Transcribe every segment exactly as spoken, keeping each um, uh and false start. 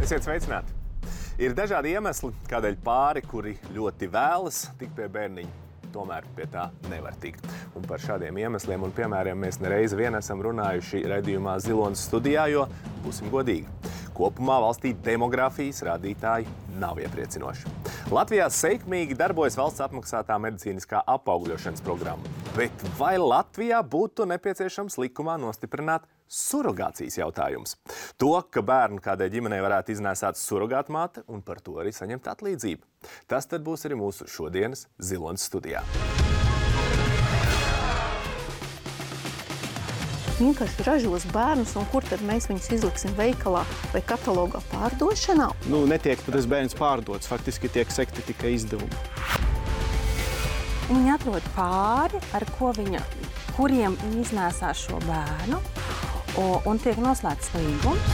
Esiet sveicināti! Ir dažādi iemesli, kādēļ pāri, kuri ļoti vēlas tikt pie bērniņa, tomēr pie tā nevar tikt. Un par šādiem iemesliem un piemēriem mēs nereizi vien esam runājuši raidījumā Zilonas studijā, jo, būsim godīgi, kopumā valstī demografijas rādītāji nav iepriecinoši. Latvijā sekmīgi darbojas valsts apmaksātā medicīniskā apaugļošanas programma. Bet vai Latvijā būtu nepieciešams likumā nostiprināt surogācijas jautājums? To, ka bērnu kādai ģimenei varētu iznēsāt surogātmāte un par to arī saņemt atlīdzību. Tas tad būs arī mūsu šodienas Zilonas studijā. Vienkārši ražos bērnus, un kur tad mēs viņus izliksim veikalā vai katalogā pārdošanā? Nu, netiek tas bērns pārdots, faktiski tiek sekti tikai izdevumi. Viņa atrod pāri, ar ko viņa, kuriem viņa iznēsās šo bērnu, un tiek noslēgts līgums.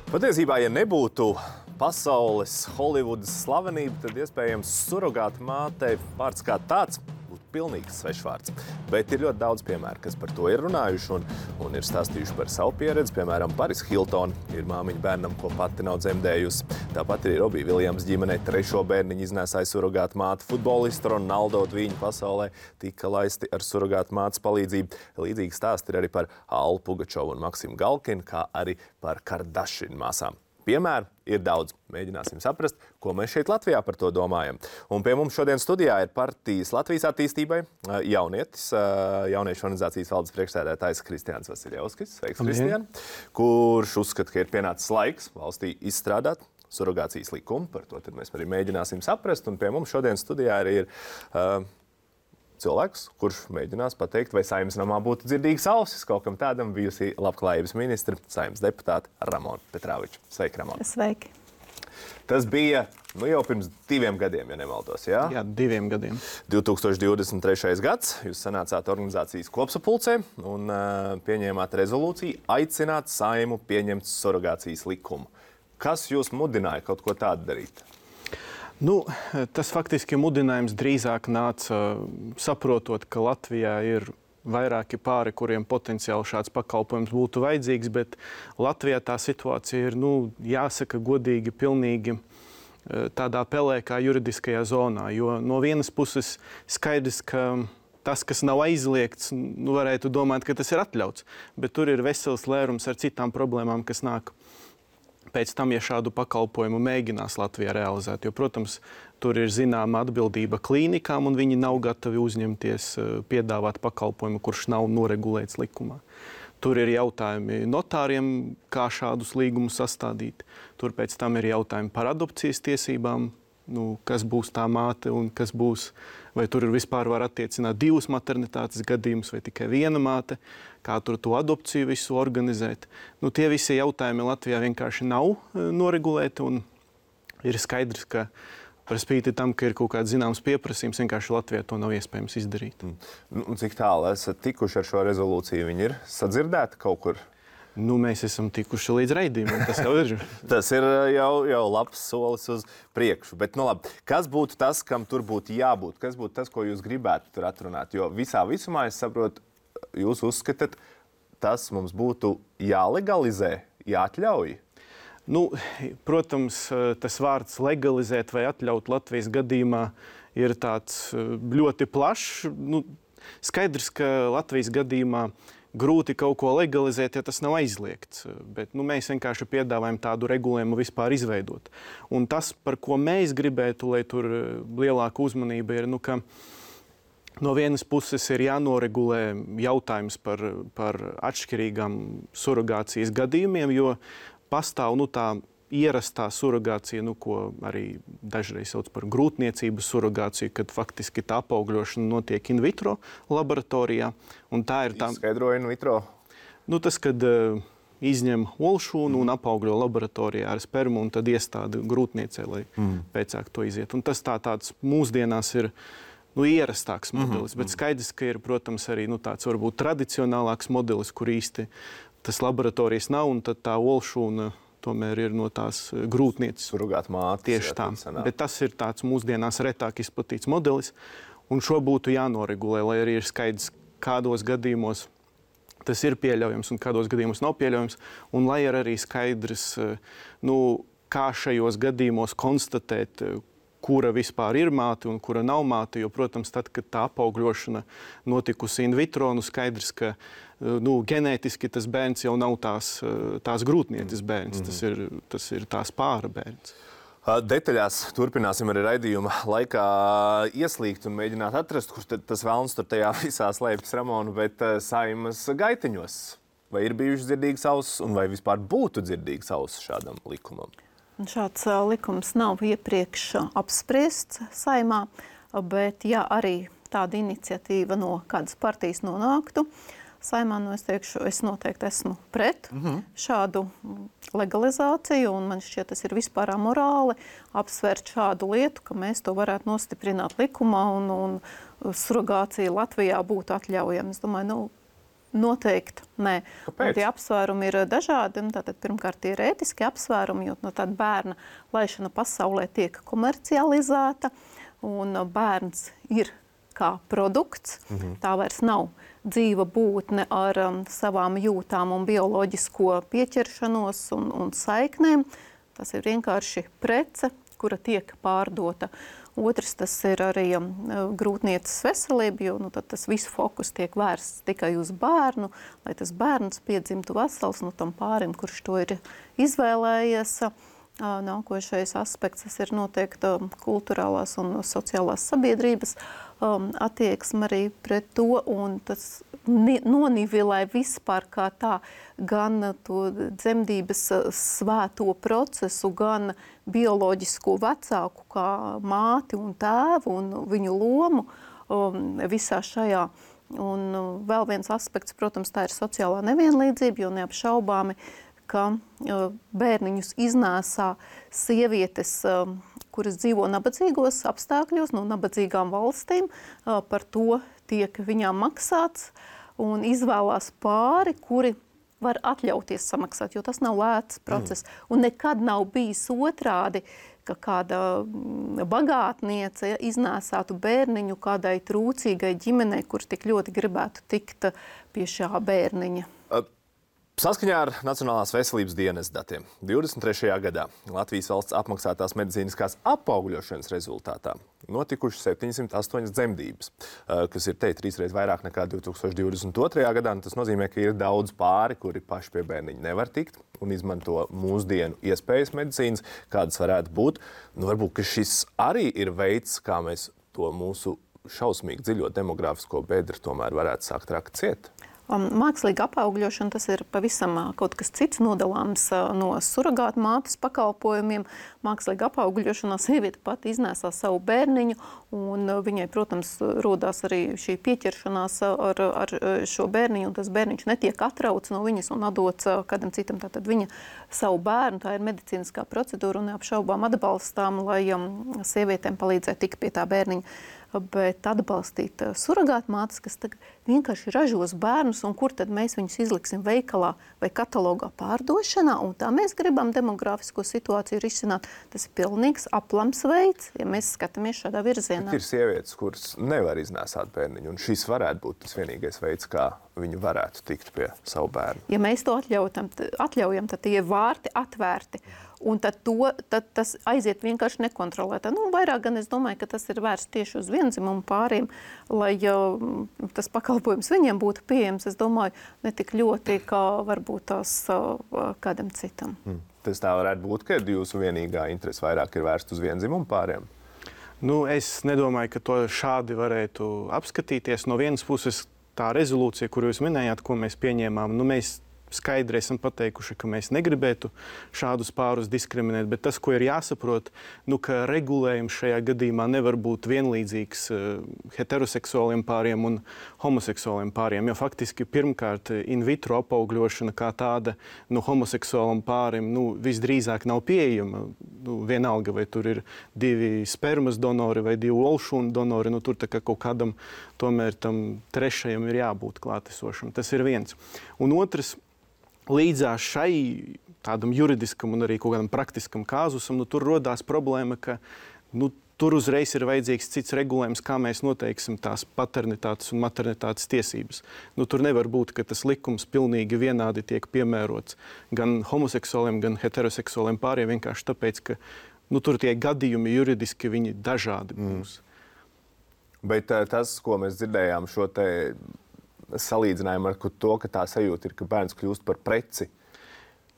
Patiesībā, ja nebūtu pasaules Holivudas slavenība, tad iespējams surogāta mātei vārds kā tāds būtu pilnīgs svešvārds. Bet ir ļoti daudz piemēru, kas par to ir runājuši un, un ir stāstījuši par savu pieredzi. Piemēram, Paris Hilton ir māmiņa bērnam, ko pati nav dzemdējusi. Tāpat arī Robija Viljams ģimenei trešo bērniņu iznēsāja surogāta māte. Futbolista Ronaldo Dviņu pasaulē tika laisti ar surogāta mātes palīdzību. Līdzīgi stāsti ir arī par Allu Pugačovu un Maksimu Galkinu, kā arī par Kardashian māsām. Piemēru ir daudz. Mēģināsim saprast, ko mēs šeit Latvijā par to domājam. Un pie mums šodien studijā ir partijas Latvijas attīstībai jaunietis, jauniešu organizācijas valdes priekšsēdētājs Kristiāns Vasiljevskis. Sveiks, Kristiān! Kurš uzskata, ka ir pienācis laiks valstī izstrādāt surogācijas likumu. Par to tad mēs arī mēģināsim saprast. Un pie mums šodien studijā arī ir uh, cilvēks, kurš mēģinās pateikt, vai Saeimas namā būtu dzirdīgas ausis kaut kam tādam, bijusi labklājības ministra, Saeimas deputāte Ramona Petrāviča. Sveiki, Ramona! Sveiki! Tas bija nu, jau pirms diviem gadiem, ja nemaldos, jā? Jā, diviem gadiem. divi tūkstoši divdesmit trešais gads. Jūs sanācāt organizācijas kopsapulcē un uh, pieņēmāt rezolūciju aicināt Saeimu pieņemt surogācijas likumu. Kas jūs mudināja kaut ko tādu darīt? Nu, tas faktiski mudinājums drīzāk nāca saprotot, ka Latvijā ir vairāki pāri, kuriem potenciāli šāds pakalpojums būtu vajadzīgs, bet Latvijā tā situācija ir, nu, jāsaka godīgi, pilnīgi tādā pelēkā juridiskajā zonā, jo no vienas puses skaidrs, ka tas, kas nav aizliegts, nu, varētu domāt, ka tas ir atļauts, bet tur ir vesels lērums ar citām problēmām, kas nāk pēc tam, ja šādu pakalpojumu mēģinās Latvijā realizēt. Jo, protams, tur ir zināma atbildība klīnikām, un viņi nav gatavi uzņemties piedāvāt pakalpojumu, kurš nav noregulēts likumā. Tur ir jautājumi notāriem, kā šādus līgumus sastādīt. Tur pēc tam ir jautājumi par adopcijas tiesībām, nu, kas būs tā māte un kas būs, vai tur vispār var attiecināt divus maternitātes gadījumus vai tikai viena māte, kā tur to adopciju visu organizēt. Nu, tie visi jautājumi Latvijā vienkārši nav noregulēti un ir skaidrs, ka par spīti tam, ka ir kaut kāds zināms pieprasījums, vienkārši Latvijā to nav iespējams izdarīt. Nu, cik tālu esat tikuši ar šo rezolūciju? Viņi ir sadzirdēti kaut kur? Nu, mēs esam tikuši līdz raidījumam, tas jau ir. Tas ir jau, jau labs solis uz priekšu. Bet, nu labi, kas būtu tas, kam tur būtu jābūt? Kas būtu tas, ko jūs gribētu tur atrunāt? Jo visā visumā, es saprotu, jūs uzskatāt, tas mums būtu jālegalizē, jāatļauj? Nu, protams, tas vārds legalizēt vai atļaut Latvijas gadījumā ir tāds ļoti plašs. Nu, skaidrs, ka Latvijas gadījumā grūti kaut ko legalizēt, ja tas nav aizliegts. Bet nu, mēs vienkārši piedāvājam tādu regulējumu vispār izveidot. Un tas, par ko mēs gribētu, lai tur lielāka uzmanība ir, nu, ka no vienas puses ir jānoregulē jautājums par, par atšķirīgām surogācijas gadījumiem, jo pastāv nu, tā ierastā surogācija, nu, ko arī dažreiz sauc par grūtniecības surogāciju, kad faktiski tā apaugļošana notiek in vitro laboratorijā. Un tā ir tā... Izskaidroja in vitro? Nu, tas, kad uh, izņem olšūnu un apaugļo laboratorijā ar spermu un tad iestāda grūtniecē, lai mm. pēcāk to iziet. Un tas tā tāds mūsdienās ir nu, ierastāks modelis, mm-hmm. bet skaidrs, ka ir, protams, arī nu, tāds varbūt tradicionālāks modelis, kur īsti tas laboratorijas nav, un tad tā olšūna tomēr ir no tās grūtnieces. Surogāta māte. Tieši tā. Bet tas ir tāds mūsdienās retāk izplatīts modelis, un šo būtu jānoregulē, lai arī ir skaidrs, kādos gadījumos tas ir pieļaujams un kādos gadījumos nav pieļaujams, un lai ir arī skaidrs, nu, kā šajos gadījumos konstatēt, kura vispār ir māte un kura nav māte, jo, protams, tad, kad tā apaugļošana notikusi in vitro, nu skaidrs, ka nu, ģenētiski tas bērns jau nav tās, tās grūtnieces bērns, mm. tas, ir, tas ir tās pāra bērns. Detaļās turpināsim arī raidījuma laikā ieslīgt un mēģināt atrast, kur tas velns tur tajā visā slēpjas, Ramona, bet Saeimas gaiteņos. Vai ir bijušas dzirdīgas ausis un vai vispār būtu dzirdīgas ausis šādam likumam? Šāds uh, likums nav iepriekš apspriests Saeimā, bet ja arī tāda iniciatīva no kādas partijas nonāktu Saeimā, nu es teikšu, es noteikti esmu pret mm-hmm. šādu legalizāciju, un man šķiet, tas ir vispār amorāli apsvērt šādu lietu, ka mēs to varētu nostiprināt likumā un, un surrogācija Latvijā būtu atļaujama. Es domāju, nu, noteikti nē. Un tie apsvērumi ir dažādi. Tātad, pirmkārt, tie ir ētiski apsvērumi, jo no tāda bērna laišana pasaulē tiek komercializēta, un bērns ir kā produkts. Mm-hmm. Tā vairs nav dzīva būtne ar um, savām jūtām un bioloģisko pieķeršanos un, un saiknēm. Tas ir vienkārši prece, kura tiek pārdota. Otrs, tas ir arī um, grūtnieces veselība, jo nu, tad tas visu fokus tiek vērsts tikai uz bērnu, lai tas bērns piedzimtu vesels no tam pārim, kurš to ir izvēlējies. Uh, nākošais aspekts, tas ir noteikti um, kulturālās un sociālās sabiedrības um, attieksme arī pret to, un tas nonivilē vispār kā tā gan to dzemdības svēto procesu, gan bioloģisko vecāku kā māti un tēvu un viņu lomu um, visā šajā. Un uh, vēl viens aspekts, protams, tā ir sociālā nevienlīdzība, jo neapšaubāmi, ka uh, bērniņus iznēsā sievietes, uh, kuras dzīvo nabadzīgos apstākļos, no nabadzīgām valstīm, uh, par to tiek viņām maksāts, un izvēlās pāri, kuri var atļauties samaksāt, jo tas nav lēts process. Mm. Un nekad nav bijis otrādi, ka kāda bagātniece iznēsātu bērniņu kādai trūcīgai ģimenei, kur tik ļoti gribētu tikt pie šā bērniņa. Saskaņā ar Nacionālās veselības dienesta datiem divdesmit trešajā gadā Latvijas valsts apmaksātās medicīniskās apaugļošanas rezultātā notikušas septiņsimt astoņas dzemdības, kas ir te trīsreiz vairāk nekā divi tūkstoši divdesmit otrajā gadā. Tas nozīmē, ka ir daudz pāri, kuri paši pie bērniņa nevar tikt un izmanto mūsdienu iespējas medicīnas, kādas varētu būt. Nu, varbūt, ka šis arī ir veids, kā mēs to mūsu šausmīgi dziļo demografisko bedri tomēr varētu sākt rakt ciet. Mākslīga apaugļošana, tas ir pavisam kaut kas cits, nodalāms no surrogāta mātes pakalpojumiem. Mākslīga apaugļošanā sieviete pati iznēsā savu bērniņu, un viņai, protams, rodās arī šī pieķeršanās ar, ar šo bērniņu, un tas bērniņš netiek atrauts no viņas un atdots kādam citam. Tātad viņa savu bērnu, tā ir medicīniskā procedūra un neapšaubām atbalstām, lai sievietēm palīdzētu tikt pie tā bērniņa. Bet atbalstīt surrogāta mātes, kas vienkārši ražos bērnus, un kur tad mēs viņus izliksim veikalā vai katalogā pārdošanā, un tā mēs gribam demografisko situāciju risināt. Tas ir pilnīgs aplams veids, ja mēs skatāmies šādā virzienā. Bet ir sievietes, kuras nevar iznēsāt bērniņu, un šis varētu būt tas vienīgais veids, kā viņi varētu tikt pie savu bērnu. Ja mēs to atļaujam, atļaujam tad tie vārti atvērti. Un tad, to, tad tas aiziet vienkārši nekontrolētā. Nu, vairāk gan es domāju, ka tas ir vērsts tieši uz vienzimumu pāriem, lai jau tas pakalpojums viņiem būtu pieejams, es domāju, ne tik ļoti, kā varbūt tās kādam citam. Hmm. Tas tā varētu būt, ka jūsu vienīgā interese vairāk ir vērst uz vienzimumu pāriem? Nu, es nedomāju, ka to šādi varētu apskatīties. No vienas puses tā rezolūcija, kuru jūs minējāt, ko mēs pieņēmām, nu mēs skaidri esam pateikuši, ka mēs negribētu šādus pārus diskriminēt, bet tas, ko ir jāsaprot, nu, ka regulējums šajā gadījumā nevar būt vienlīdzīgs uh, heteroseksuāliem pāriem un homoseksuāliem pāriem, jo faktiski pirmkārt in vitro apaugļošana kā tāda nu, homoseksuālam pārim nu, visdrīzāk nav pieejama. Nu, vienalga, vai tur ir divi spermas donori vai divi olšūnu donori, nu, tur tā kā kaut kādam tomēr tam trešajam ir jābūt klātesošam. Tas ir viens. Un otrs, līdzās šai tādam juridiskam un arī kaut kādam praktiskam kāzusam, nu, tur rodās problēma, ka nu, tur uzreiz ir vajadzīgs cits regulējums, kā mēs noteiksim tās paternitātes un maternitātes tiesības. Nu, tur nevar būt, ka tas likums pilnīgi vienādi tiek piemērots gan homoseksuāliem, gan heteroseksuāliem pāriem, vienkārši tāpēc, ka nu, tur tie gadījumi juridiski viņi dažādi būs. Mm. Bet tas, ko mēs dzirdējām, šo te salīdzinājumu ar to, ka tā sajūta ir, ka bērns kļūst par preci.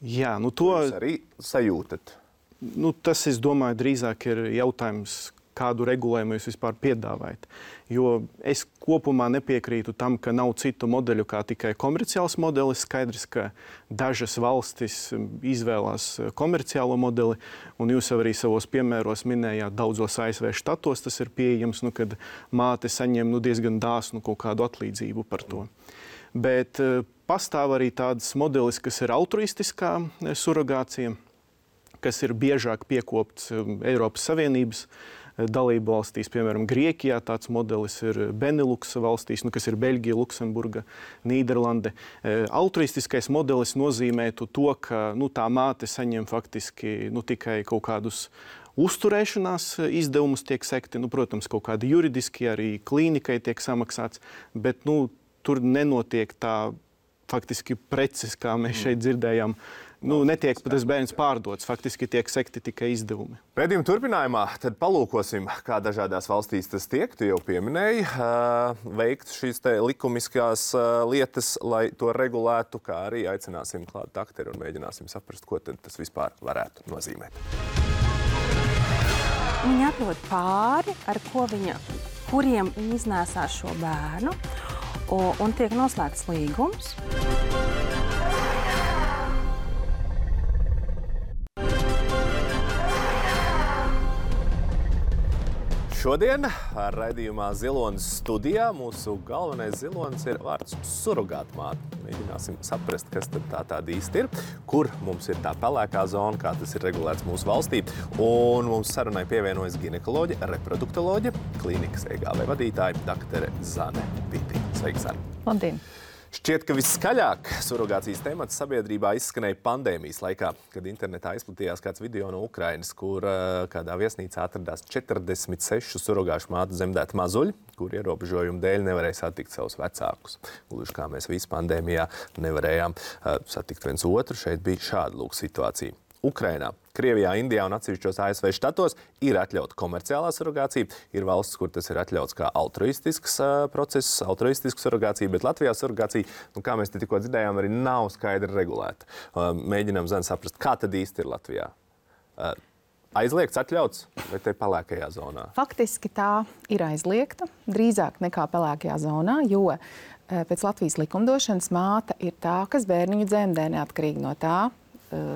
Jā, nu to... Jūs arī sajūtat? Nu, tas, es domāju, drīzāk ir jautājums, kādu regulējumu jūs vispār piedāvājat. Jo es kopumā nepiekrītu tam, ka nav citu modeļu kā tikai komerciāls modelis. Skaidrs, ka dažas valstis izvēlās komerciālo modeli, un jūs arī savos piemēros minējāt, daudzos A S V štatos tas ir pieejams, nu, kad māte saņem nu, diezgan dāsnu kaut kādu atlīdzību par to. Bet uh, pastāv arī tāds modelis, kas ir altruistiskā surrogācija, kas ir biežāk piekopts Eiropas Savienības dalību valstīs. Piemēram, Grieķijā tāds modelis ir Beneluksa valstīs, nu, kas ir Beļģija, Luksemburga, Nīderlande. Altruistiskais modelis nozīmētu to, ka nu, tā māte saņem faktiski nu, tikai kaut kādus uzturēšanās izdevumus tiek sekti. Nu, protams, kaut kādi juridiski arī klīnikai tiek samaksāts, bet nu, tur nenotiek tā faktiski preces, kā mēs šeit dzirdējām. Nu, netiek tas bērns pārdots, faktiski tiek sekti tikai izdevumi. Raidījuma turpinājumā tad palūkosim, kā dažādās valstīs tas tiek. Tu jau pieminēji, uh, veikt šīs te likumiskās uh, lietas, lai to regulētu, kā arī aicināsim klāt dakteru un mēģināsim saprast, ko tad tas vispār varētu nozīmēt. Viņa atrod pāri, ar ko viņa, kuriem viņa iznēsās šo bērnu, un, un tiek noslēgts līgums. Šodien raidījumā Zilonis studijā mūsu galvenais zilonis ir vārds surrogātmāte. Mēģināsim saprast, kas tad tā tāda īsti ir, kur mums ir tā pelēkā zona, kā tas ir regulēts mūsu valstī. Un mums sarunai pievienojas ginekoloģe, reproduktoloģe, klīnikas E G V vadītāja daktere Zane Vītiņa. Sveiki, Zane! Labdien! Šķiet, ka viskaļāk surrogācijas temats sabiedrībā izskanēja pandēmijas laikā, kad internetā izplatījās kāds video no Ukrainas, kur uh, kādā viesnīcā atradās četrdesmit sešu surrogāšu mātu zemdēti mazuļi, kur ierobežojumu dēļ nevarēja satikt savus vecākus. Gluži kā mēs visi pandēmijā nevarējām uh, satikt viens otru, šeit bija šāda lūk situācija. Ukrainā, Krievijā, Indijā un atsevišķos A S V štatos ir atļauta komerciālā surrogācija. Ir valsts, kur tas ir atļauts kā altruistisks uh, process, altruistisks surrogācija, bet Latvijā surrogācija, nu, kā mēs te tikko dzirdējām, arī nav skaidri regulēta. Uh, mēģinām, Zane, saprast, kā tad īsti ir Latvijā. Uh, aizliegts, atļauts vai te pelēkajā zonā? Faktiski tā ir aizliegta, drīzāk nekā pelēkajā zonā, jo pēc Latvijas likumdošanas māte ir tā, kas bērniņu dzemdē neatkarīgi no tā,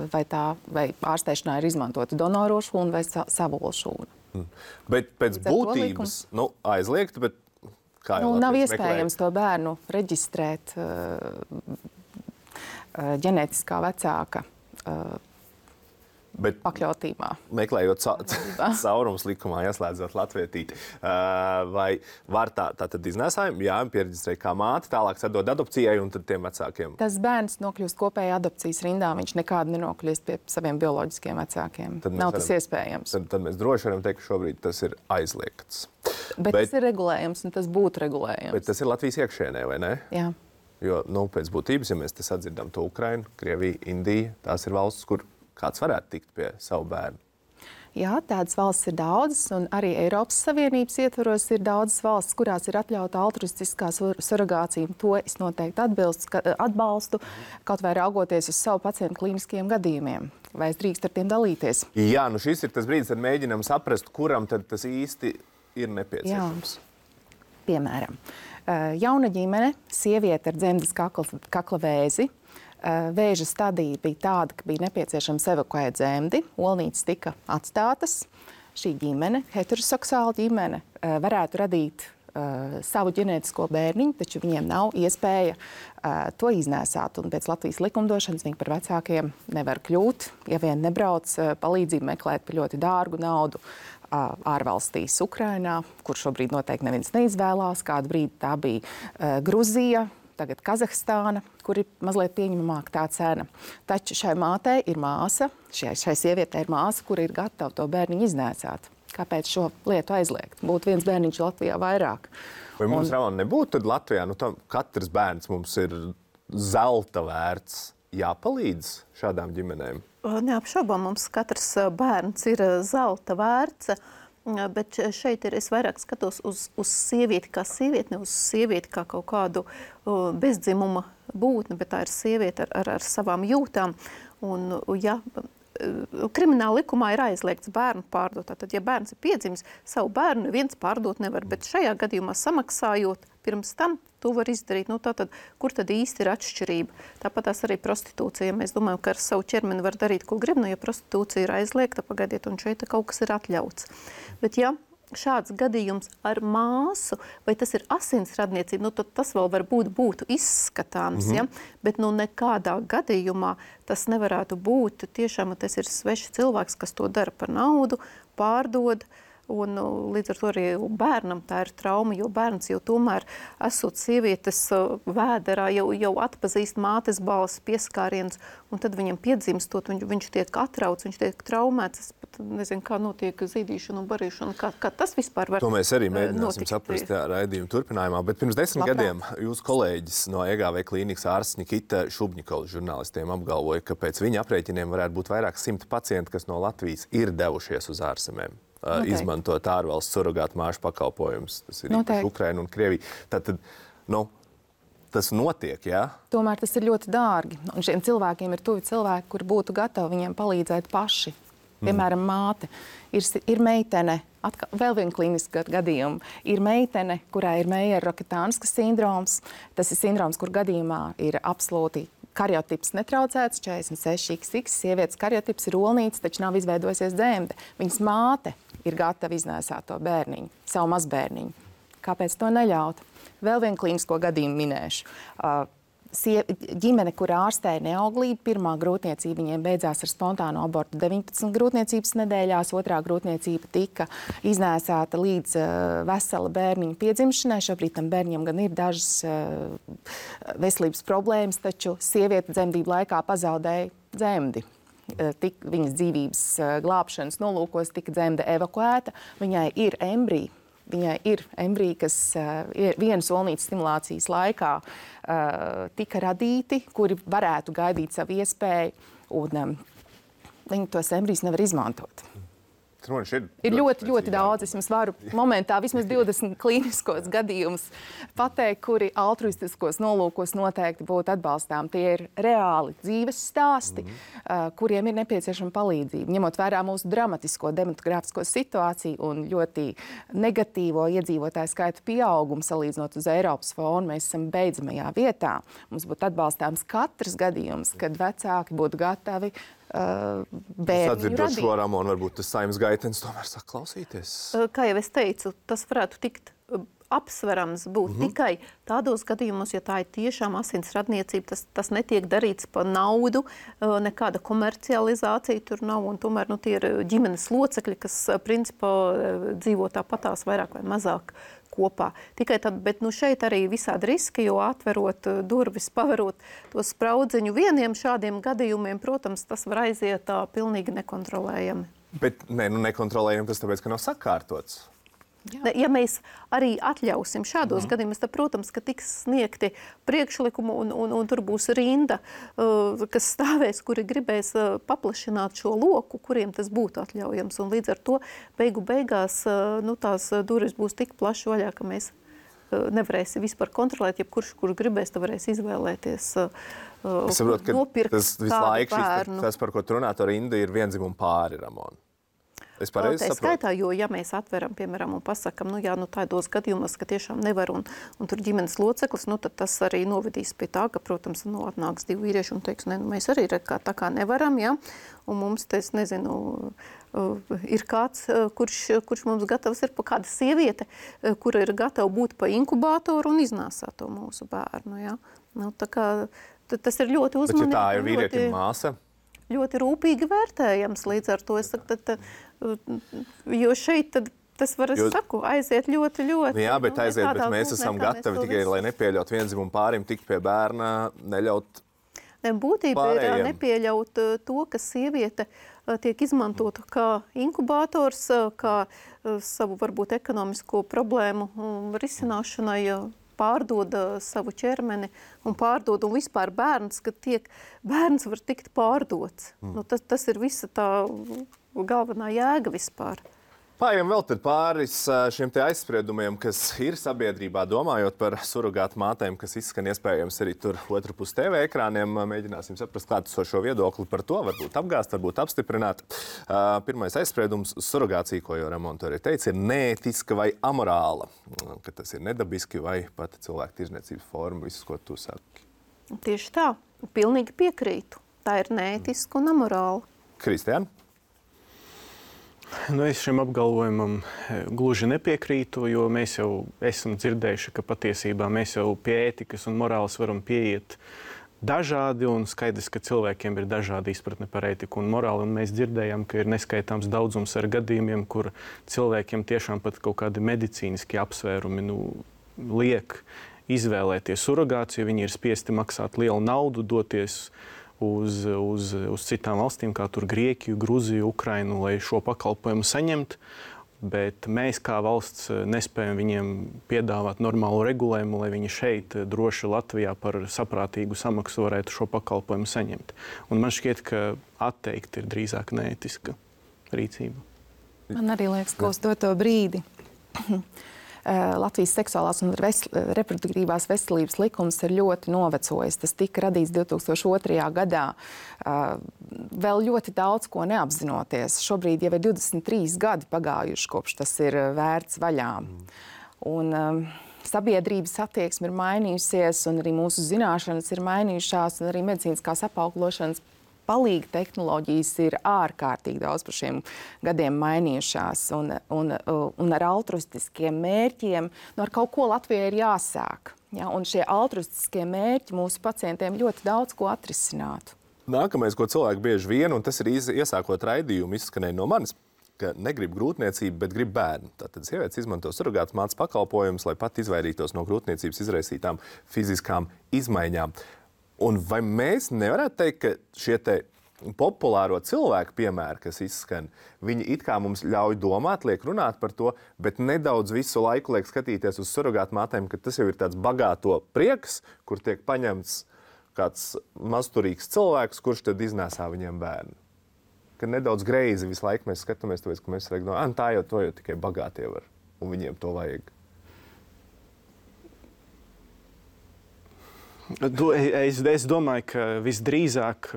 vai tā vai ārstēšanā ir izmantota donoro šūna vai savula šūna. Mm. Bet pēc būtības nu, aizliegt, bet kā jau nu, nav iespējams meklēt? To bērnu reģistrēt uh, uh, ģenētiskā vecāka uh, Bet pakļautībā. Meklējot ca caurums likumā, ieslēdzot latvietīti, uh, vai var tā, tā tad iznēsājumi, jā, piereģistrēt kā māte, tālāk sadod adopcijai un tad tiem vecākiem? Tas bērns nokļūst kopējā adopcijas rindā, viņš nekādu nenokļūst pie saviem bioloģiskiem vecākiem. Nav tas varam, iespējams. Tad, tad mēs droši varam teikt, ka šobrīd tas ir aizliegts. Bet, bet tas ir regulējums un tas būtu regulējums. Bet tas ir Latvijas iekšienē, vai ne? Jā. Jo, nu, pēc būtības, ja mēs te sadzirdam to Ukrainu, Krieviju, Indiju, tās ir valstis, kur kāds varētu tikt pie savu bērnu? Jā, tādas valstis ir daudzas, un arī Eiropas Savienības ietvaros ir daudzas valstis, kurās ir atļauta altruistiskā surrogācija. To es noteikti atbilstu, atbalstu, kaut vai raugoties uz savu pacientu klīniskiem gadījumiem. Vai es drīkst ar tiem dalīties? Jā, nu šis ir tas brīdis, kad mēģinam saprast, kuram tad tas īsti ir nepieciešams. Jā. Piemēram, jauna ģimene, sieviete ar dzemdes kakla, kakla vēzi, vēža stadija bija tāda, ka bija nepieciešams evakuēt dzemdi, olnītes tika atstātas. Šī ģimene, heteroseksuāla ģimene, varētu radīt uh, savu ģenētisko bērniņu, taču viņiem nav iespēja uh, to iznēsāt. Un pēc Latvijas likumdošanas viņi par vecākiem nevar kļūt, ja vien nebrauc uh, palīdzību meklēt par ļoti dārgu naudu uh, ārvalstīs Ukrainā, kur šobrīd noteikti neviens neizvēlās. Kādu brīdi tā bija uh, Gruzija, tagad Kazahstāna, kur ir mazliet pieņemamāka tā cena. Taču šai mātei ir māsa, šai, šai sievietei ir māsa, kur ir gatava to bērniņu iznēsāt. Kāpēc šo lietu aizliegt? Būtu viens bērniņš Latvijā vairāk. Vai mums, un... Rauna, nebūtu tad Latvijā, nu tam katrs bērns mums ir zelta vērts, jāpalīdz šādām ģimenēm? Neapšaubām, mums katrs bērns ir zelta vērts. Bet šeit ir, es vairāk skatos uz, uz sievieti kā sievieti, ne uz sievieti kā kaut kādu uh, bezdzimuma būtni, bet tā ir sieviete ar, ar, ar savām jūtām. Un, ja krimināla likumā ir aizliegts bērnu pārdot, tad, ja bērns ir piedzimis, savu bērnu neviens pārdot nevar, bet šajā gadījumā samaksājot pirms tam, to var izdarīt. Nu, tātad, kur tad īsti ir atšķirība? Tāpat tās arī prostitūcija. Mēs domājam, ka ar savu ķermeni var darīt, ko grib, nu, ja prostitūcija ir aizliegta, pagaidiet, un šeit kaut kas ir atļauts. Bet ja šāds gadījums ar māsu, vai tas ir asinsradniecība, nu, tad tas vēl varbūt būtu izskatāms, mm-hmm. ja? Bet nu, nekādā gadījumā tas nevarētu būt. Tiešām tas ir svešs cilvēks, kas to dara par naudu, pārdod. Un līdz ar to arī bērnam tā ir trauma, jo bērns jau tomēr, esot sievietes vēderā, jau, jau atpazīst mātes balss, pieskāriens, un tad viņam piedzimstot, viņš, viņš tiek atrauts, viņš tiek traumēts. Es pat nezinu, kā notiek zīdīšana un barīšana, kā, kā tas vispār var notikt. To mēs arī mēģināsim saprast jā, raidījuma turpinājumā, bet pirms desmit Labprāt. gadiem jūsu kolēģis no E G V klīnikas ārsts Nikita Šubņikovs žurnālistiem apgalvoja, ka pēc viņa aprēķiniem varētu būt vairāk simti pacienti, kas no Latvijas ir devušies uz ārzemēm. Noteikti. Izmantot ārvalsts surogātu māšu pakalpojumus. Tas ir īpaši Ukraina un Krievija. Tātad, nu, tas notiek, jā? Tomēr tas ir ļoti dārgi. Un šiem cilvēkiem ir tuvi cilvēki, kuri būtu gatavi viņiem palīdzēt paši. Piemēram, mm. māte. Ir, ir meitene, atkal, vēl viena klīniska gadījuma, ir meitene, kurā ir Meijera-Roketānskas sindroms. Tas ir sindroms, kur gadījumā ir absolūti karjotips netraucēts, četrdesmit seši iks iks, sievietes karjotips ir olnīts, taču nav izveidojusies dzemde. Viņas māte ir gatava iznēsāt to bērniņu, savu mazbērniņu. Kāpēc to neļaut? Vēl vienu klīnisko gadījumu minēšu. Uh, sie, ģimene, kur ārstēja neauglību, pirmā grūtniecība viņiem beidzās ar spontānu abortu deviņpadsmit grūtniecības nedēļās, otrā grūtniecība tika iznēsāta līdz uh, vesela bērniņa piedzimšanai. Šobrīd tam bērniņam gan ir dažas uh, veselības problēmas, taču sieviete dzemdību laikā pazaudēja dzemdi. Tik, viņas dzīvības glābšanas nolūkos tika dzemde evakuēta. Viņai ir embrija, viņai ir embrija, kas ir vienas olnītes stimulācijas laikā tika radīti, kuri varētu gaidīt savu iespēju, un viņi tos embrijus nevar izmantot. Ir, ir ļoti, ļoti daudz. Es jums varu momentā vismaz divdesmit klīniskos gadījumus pateikt, kuri altruistiskos nolūkos noteikti būtu atbalstām. Tie ir reāli dzīves stāsti, mm-hmm. uh, kuriem ir nepieciešama palīdzība. Ņemot vērā mūsu dramatisko demogrāfisko situāciju un ļoti negatīvo iedzīvotāju skaitu pieaugumu salīdzinot uz Eiropas fonu, mēs esam beidzamajā vietā. Mums būtu atbalstāms katrs gadījums, kad vecāki būtu gatavi Uh, Sadzirdot šo Ramonu, varbūt tas Saimnes Gaitens tomēr sāk klausīties. Kā jau es teicu, tas varētu tikt apsverams būt mm-hmm. tikai tādos gadījumos, ja tā ir tiešām asinsradniecība, tas, tas netiek darīts par naudu, nekāda komercializācija tur nav, un tomēr nu, tie ir ģimenes locekļi, kas principā dzīvo tāpatās vairāk vai mazāk kopā. Tikai tad, bet nu šeit arī visādi riski, jo atverot durvis, paverot to spraudziņu vieniem šādiem gadījumiem, protams, tas var aiziet tā pilnīgi nekontrolējami. Bet ne, nu nekontrolējami tas tāpēc, ka nav sakārtots. Jā. Ja mēs arī atļausim šādos mm. gadījumos, tad, protams, ka tiks sniegti priekšlikumu un, un, un tur būs rinda, uh, kas stāvēs, kuri gribēs uh, paplašināt šo loku, kuriem tas būtu atļaujams. Un līdz ar to beigu beigās uh, nu, tās durvis būs tik plaši vaļā, ka mēs uh, nevarēsim vispār kontrolēt, ja kurš, kurš gribēs, tad varēs izvēlēties uh, es saprotu, ka nopirkt tas visu laiku šis, tas, par ko tu runā, to rinda ir vienzimuma pāri, Ramona. Es pareizi tā saprotu. skaitā, jo ja mēs atveram, piemēram, un pasakam, nu jā, nu tādos gadījumos, ka tiešām nevar un, un tur ģimenes loceklis, nu tad tas arī novedīs pie tā, ka, protams, nu atnāks divi vīrieši un teiks, ne, nu mēs arī kā, tā kā nevaram, jā, un mums, te, es nezinu, uh, ir kāds, uh, kurš, kurš mums gatavs ir pa kāda sieviete, uh, kura ir gatava būt pa inkubātoru un iznāsāt to mūsu bērnu, jā. Nu, tā kā, tas ir ļoti uzmanīgi. Bet ja tā ir vīrietim māsa? Ļoti rūpīgi vērtējams līdz ar to. Es saku, tad, tad, jo šeit tad, tas var, es jo, saku, aiziet ļoti, ļoti. Nu jā, bet aiziet, bet mēs esam gatavi tikai, lai nepieļaut vienzimumu pārim tikt pie bērna, neļaut Būtība Pārējiem. ir nepieļaut to, ka sieviete tiek izmantota kā inkubātors, kā savu varbūt ekonomisko problēmu risināšanai, pārdod savu ķermeni un pārdod, un vispār bērns, kad tiek, bērns var tikt pārdots. Mm. Nu, tas, tas ir visa tā galvenā jēga vispār. Pājiem vēl tad pāris šiem te aizspriedumiem, kas ir sabiedrībā, domājot par surogātu mātēm, kas izskan iespējams arī tur otru pus T V ekrāniem. Mēģināsim saprast klātesošo viedokli par to, varbūt apgāst, varbūt apstiprināt. Uh, pirmais aizspriedums - surogācija, ko jau Ramonta arī teica, ir neētiska vai amorāla, ka tas ir nedabiski vai pat cilvēku tirzniecības forma, viss, ko tu saki. Tieši tā, pilnīgi piekrītu. Tā ir neētiska un amorāla. Kristiāna? Nu, es šim apgalvojumam gluži nepiekrītu, jo mēs jau esam dzirdējuši, ka patiesībā mēs jau pie ētikas un morāles varam pieiet dažādi, un skaidrs, ka cilvēkiem ir dažādi izpratne par ētiku un morāli, un mēs dzirdējām, ka ir neskaitāms daudzums ar gadījumiem, kur cilvēkiem tiešām pat kaut kādi medicīniski apsvērumi nu, liek izvēlēties surogāciju, viņi ir spiesti maksāt lielu naudu, doties Uz, uz, uz citām valstīm, kā tur Grieķiju, Gruziju, Ukrainu, lai šo pakalpojumu saņemtu. Bet mēs kā valsts nespējam viņiem piedāvāt normālu regulējumu, lai viņi šeit droši Latvijā par saprātīgu samaksu varētu šo pakalpojumu saņemt. Un man šķiet, ka atteikt ir drīzāk neētiska rīcība. Man arī liekas, ka uz doto brīdi Latvijas seksuālās un reproduktīvās veselības likums ir ļoti novecojis. Tas tika radīts divi tūkstoši otrajā gadā, vēl ļoti daudz ko neapzinoties. Šobrīd jau ir divdesmit trīs gadi pagājuši, kopš tas ir vērts vaļā. Un, um, sabiedrības attieksme ir mainījusies, un arī mūsu zināšanas ir mainījušās, un arī medicīniskās apauglošanas palīga tehnoloģijas ir ārkārtīgi daudz par šiem gadiem mainījušās, un, un, un ar altruistiskiem mērķiem, nu ar kaut ko Latvijai ir jāsāk. Ja? Un šie altruistiskie mērķi mūsu pacientiem ļoti daudz ko atrisinātu. Nākamais, ko cilvēki bieži vien, un tas ir iesākot raidījumu, izskanēja no manis, ka negrib grūtniecību, bet grib bērnu. Tātad sievietes izmanto surogātas mātes pakalpojumus, lai pat izvairītos no grūtniecības izraisītām fiziskām izmaiņām. Un vai mēs nevarētu teikt, ka šie te populāro cilvēku piemēri, kas izskan, viņi it kā mums ļauj domāt, liek runāt par to, bet nedaudz visu laiku liek skatīties uz surogātu mātēm, ka tas jau ir tāds bagāto prieks, kur tiek paņemts kāds mazturīgs cilvēks, kurš tad iznēsā viņiem bērnu. Ka nedaudz greizi visu laiku mēs skatāmies, tāpēc, ka mēs reik no, tā jau to jau tikai bagātie var, un viņiem to vajag. Es, es domāju, ka visdrīzāk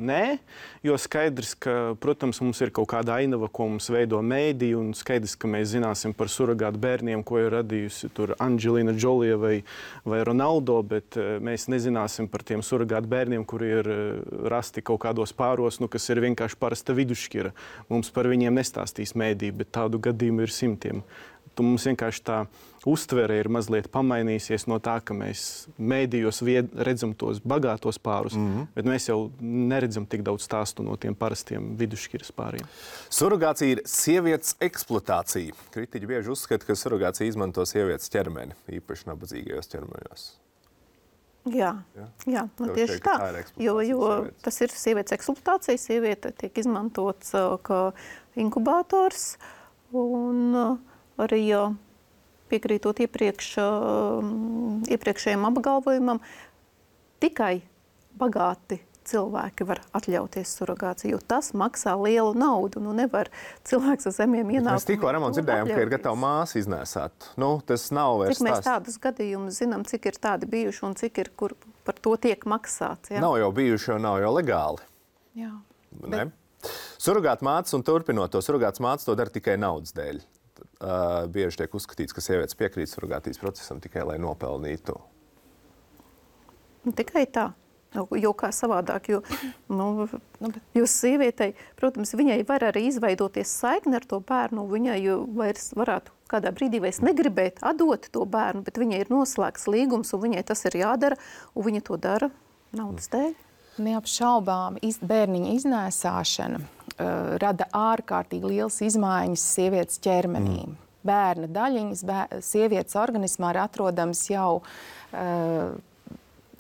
nē, jo skaidrs, ka, protams, mums ir kaut kāda ainava, ko mums veido mēdī, un skaidrs, ka mēs zināsim par surogātu bērniem, ko ir radījusi tur Angelina Jolie vai, vai Ronaldo, bet mēs nezināsim par tiem surogātu bērniem, kuri ir rasti kaut kādos pāros, nu, kas ir vienkārši parasta vidušķira. Mums par viņiem nestāstīs mēdī, bet tādu gadījumu ir simtiem. Tu mums vienkārši tā uztvere ir mazliet pamainījusies no tā, ka mēs mēdījos redzam tos bagātos pārus, mm-hmm. bet mēs jau neredzam tik daudz stāstu no tiem parastiem vidusšķiras pāriem. Surogācija ir sievietes eksploatācija. Kritiķi bieži uzskata, ka surogācija izmanto sievietes ķermeni, īpaši nabadzīgajos ķermeņos. Jā, jā. jā nu Tev tieši šeit, tā, jo, jo sievietes. Tas ir sievietes eksploatācija, sieviete tiek izmantots uh, kā inkubātors, un uh, arī uh, piekrītot iepriekš, uh, iepriekšējiem apgalvojumam, tikai bagāti cilvēki var atļauties surogāciju, jo tas maksā lielu naudu. Nu, nevar cilvēks ar zemiem ienākumiem. Mēs tikko, Ramon, dzirdējām, ka ir gatava māsa iznēsāt. Nu, tas nav vairs cik mēs stāsts. tādus gadījumus zinām, cik ir tādi bijuši un cik ir, kur par to tiek maksāts. Ja? Nav jau bijuši, jo nav jau legāli. Jā. Ne? Surogāta mātes un turpinot to, surogātas mātes to dara tikai naudas dēļ. Uh, bieži tiek uzskatīts, ka sievietes piekrīt surogātijas procesam tikai, lai nopelnītu. Tikai tā. Jo kā savādāk, jo, nu, jo sievietei, protams, viņai var arī izveidoties saikni ar to bērnu, viņai vairs varētu kādā brīdī vairs negribēt atdot to bērnu, bet viņai ir noslēgts līgums, un viņai tas ir jādara, un viņa to dara naudas dēļ. Neapšaubām iz, bērniņa iznēsāšana uh, rada ārkārtīgi liels izmaiņas sievietes ķermenī. Mm. Bērna daļiņas bēr, sievietes organismā ir atrodams jau uh,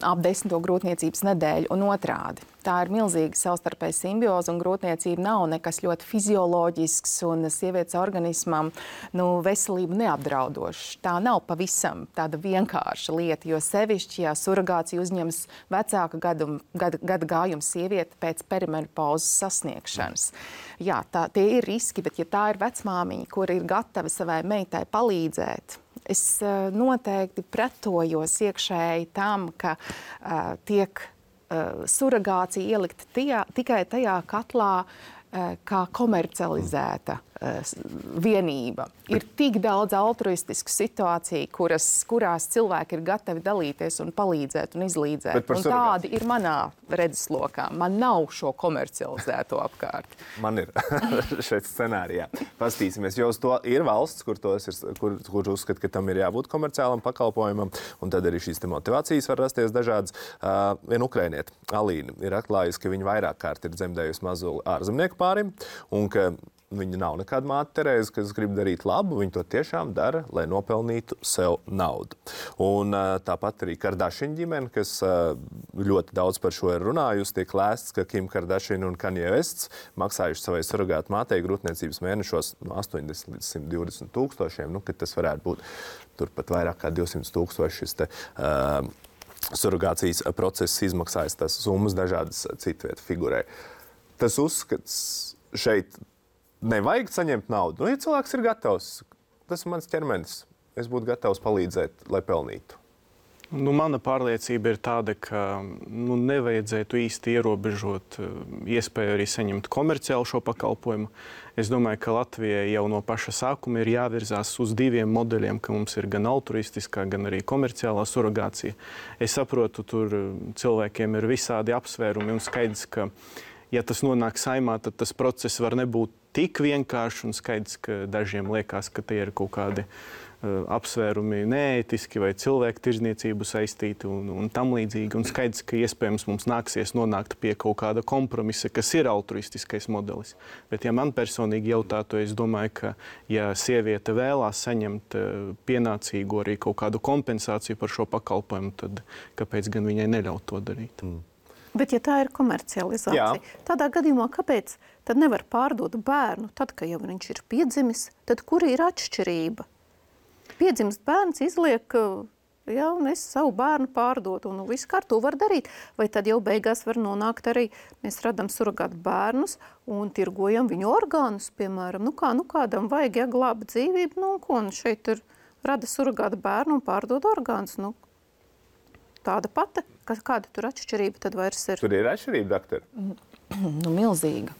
ap desmito grūtniecības nedēļu un otrādi. Tā ir milzīga savstarpēja simbioze, un grūtniecība nav nekas ļoti fizioloģisks un sievietes organismam nu, veselību neapdraudošs. Tā nav pavisam tāda vienkārša lieta, jo sevišķi, ja surrogācija uzņemas vecāka gadu, gada, gada gājuma sieviete pēc perimenopauzes sasniegšanas. Jā, tā, tie ir riski, bet ja tā ir vecmāmiņa, kura ir gatava savai meitai palīdzēt, es uh, noteikti pretojos iekšēji tam, ka uh, tiek uh, surrogācija ielikta tajā, tikai tajā katlā, uh, kā komercializēta uh, vienība. Ir tik daudz altruistisku situāciju, kuras, kurās cilvēki ir gatavi dalīties un palīdzēt un izlīdzēt. Un tādi ir manā redzeslokā. Man nav šo komercializēto apkārt. Man ir šeit scenārijā. Pastīsimies, jo uz to ir valsts, kur, tos ir, kur, kur uzskat, ka tam ir jābūt komerciālam pakalpojumam, un tad arī šīs te motivācijas var rasties dažādas. Uh, viena ukrainieta, Alīna, ir atklājusi, ka viņa vairāk kārt ir dzemdējusi mazuli ārzemnieku pārim, un ka viņa nav nekāda māte Terēze, kas grib darīt labu, viņa to tiešām dara, lai nopelnītu sev naudu. Un uh, tāpat arī Kardashian ģimene, kas uh, ļoti daudz par šo ir runājusi, tiek lēsts, ka Kim Kardashian un Kanye Wests maksājuši savai surrogātu mātei grūtniecības mēnešos no astoņdesmit līdz simt divdesmit tūkstošiem, nu, ka tas varētu būt turpat vairāk kā divsimt tūkstoši šis te uh, surrogācijas process izmaksājas, tas summas dažādas citvietu figurē. Tas uzskats šeit nevajag saņemt naudu. Nu, ja cilvēks ir gatavs, tas ir mans ķermenis, es būtu gatavs palīdzēt, lai pelnītu. Nu, mana pārliecība ir tāda, ka nu, nevajadzētu īsti ierobežot iespēju arī saņemt komerciālu šo pakalpojumu. Es domāju, ka Latvijai jau no paša sākuma ir jāvirzās uz diviem modeļiem, ka mums ir gan altruistiskā, gan arī komerciālā surrogācija. Es saprotu, tur cilvēkiem ir visādi apsvērumi un skaidrs, ka ja tas nonāk saimā, tad tas process var nebūt tik vienkārši un skaidrs, ka dažiem liekas, ka tie ir kaut kādi uh, apsvērumi neētiski vai cilvēku tirzniecību saistīti un, un tam līdzīgi. Un skaidrs, ka iespējams mums nāksies nonākt pie kaut kāda kompromisa, kas ir altruistiskais modelis. Bet ja man personīgi jautātu, es domāju, ka ja sieviete vēlās saņemt uh, pienācīgu arī kaut kādu kompensāciju par šo pakalpojumu, tad kāpēc gan viņai neļaut to darīt? Mm. Bet, ja tā ir komercializācija, Jā. tādā gadījumā kāpēc tad nevar pārdot bērnu tad, kad jau viņš ir piedzimis? Tad kur ir atšķirība? Piedzimst bērns, izliek, jā, un es savu bērnu pārdotu, un viss kā to var darīt. Vai tad jau beigās var nonākt arī, mēs radam surrogātu bērnus un tirgojam viņu orgānus, piemēram. Nu kā, nu kādam vajag, ja glāba dzīvību, nu ko, un šeit ir rada surrogātu bērnu un pārdod orgānus, nu. Tāda pati, kāda tur atšķirība tad vairs ir? Tur ir atšķirība, doktor? Nu, milzīga.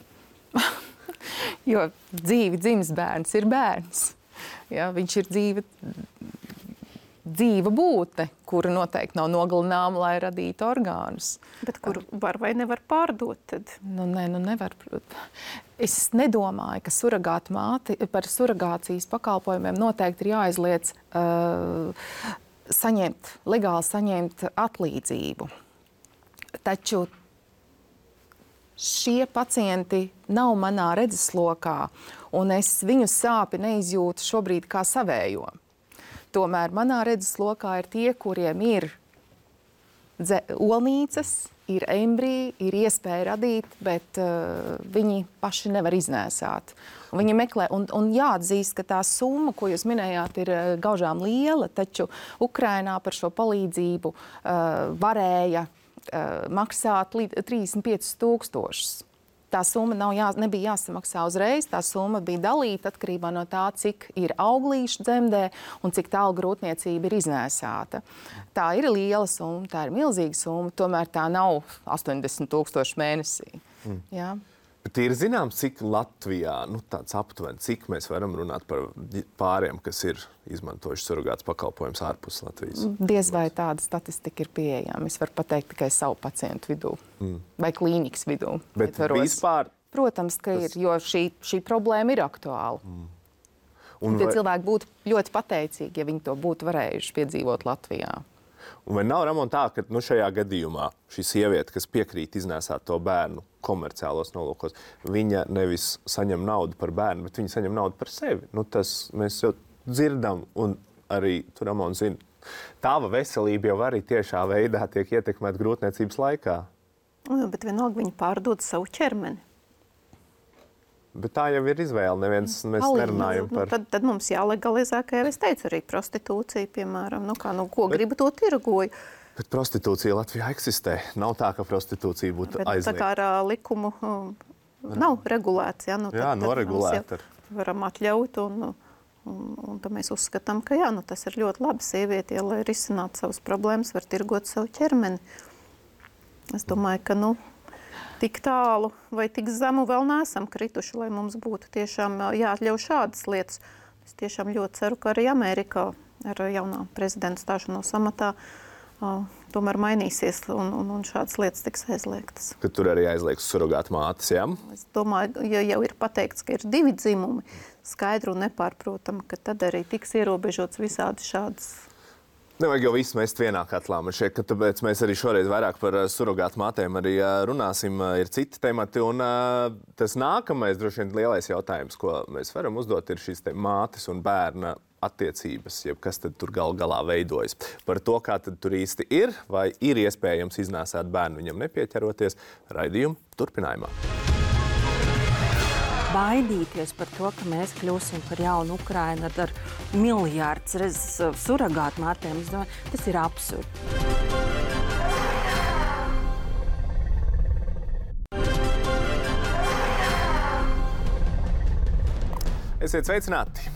Jo dzīvi dzimis bērns ir bērns. Ja, viņš ir dzīva, dzīva būtne, kura noteikti nav nogalināma, lai radītu orgānus. Bet kur var vai nevar pārdot tad? Nu, nē, nu nevar. Es nedomāju, ka surrogāta māte par surrogācijas pakalpojumiem noteikti ir jāizliec uh, saņemt, legāli saņemt atlīdzību. Taču šie pacienti nav manā redzeslokā, un es viņu sāpi neizjūtu šobrīd kā savējo. Tomēr manā redzeslokā ir tie, kuriem ir olnīcas, ir embriji, ir iespēja radīt, bet uh, viņi paši nevar iznēsāt. Un viņi meklē, un, un jāatzīst, ka tā summa, ko jūs minējāt, ir uh, gaužām liela, taču Ukrainā par šo palīdzību uh, varēja uh, maksāt trīsdesmit piecus tūkstošus. Tā summa nav jā, nebija jāsamaksā uzreiz, tā summa bija dalīta atkarībā no tā, cik ir auglīšu dzemdē un cik tālu grūtniecība ir iznēsāta. Tā ir liela summa, tā ir milzīga summa, tomēr tā nav astoņdesmit tūkstoši mēnesī. Mm. Jā. Bet ir zināms, cik Latvijā, nu tāds aptuveni, cik mēs varam runāt par pāriem, kas ir izmantojuši surrogātas pakalpojumus ārpus Latvijas? Diez vai tāda statistika ir pieejama. Es varu pateikt tikai savu pacientu vidū mm. vai klīnikas vidū. Bet vispār? Protams, ka tas... ir, jo šī, šī problēma ir aktuāla. Mm. Un tie vai... cilvēki būtu ļoti pateicīgi, ja viņi to būtu varējuši piedzīvot Latvijā. Un vai nav, Ramon, tā, ka nu, šajā gadījumā šī sieviete, kas piekrīt iznēsāt to bērnu komerciālos nolūkos, viņa nevis saņem naudu par bērnu, bet viņa saņem naudu par sevi? Nu, tas mēs jau dzirdam, un arī tu, Ramon, zini, Tava veselība jau arī tiešā veidā tiek ietekmēta grūtniecības laikā. Nu, bet vienalga viņi pārdod savu ķermeni. Bet tā jau ir izvēle. Neviens mēs Palīdz. nerunājam par... Nu, tad, tad mums jālegalizē, kā jau es teicu, arī prostitūcija, piemēram. Nu, kā, nu, ko bet, gribu, to tirgoju. Bet prostitūcija Latvijā eksistē. Nav tā, ka prostitūcija būtu aizliegta. Tā kā ar uh, likumu uh, nav regulēts. Ja? Nu, jā, tad, noregulēta. Tad varam atļaut un, un, un tad mēs uzskatām, ka jā, nu, tas ir ļoti labi sievieti, ja, lai risinātu savas problēmas, var tirgot savu ķermeni. Es domāju, ka nu, tik tālu vai tik zemu vēl neesam krituši, lai mums būtu tiešām jāatļauj šādas lietas. Es tiešām ļoti ceru, ka arī Amerikā ar jaunā prezidenta stāšanos amatā uh, tomēr mainīsies un, un, un šādas lietas tiks aizliegtas. Ka tur arī aizliegs surogātu mātes, jā? Es domāju, ja jau ir pateikts, ka ir divi dzimumi, skaidru un nepārprotam, ka tad arī tiks ierobežots visādi šādas. Nevajag jau visu mest vienā katlā. Man šķiet, ka tāpēc mēs arī šoreiz vairāk par surogātu mātēm arī runāsim. Ir citi temati. Un tas nākamais, droši vien, lielais jautājums, ko mēs varam uzdot, ir šīs te mātes un bērna attiecības, jeb kas tad tur gal galā veidojas. Par to, kā tad tur īsti ir, vai ir iespējams iznēsāt bērnu viņam nepieķeroties, raidījumu turpinājumā. Baidīties par to, ka mēs kļūsim par jaunu Ukrainu ar, ar miljārdus reizes surogātu mātēm, es domāju, tas ir absurdi. Esiet sveicināti!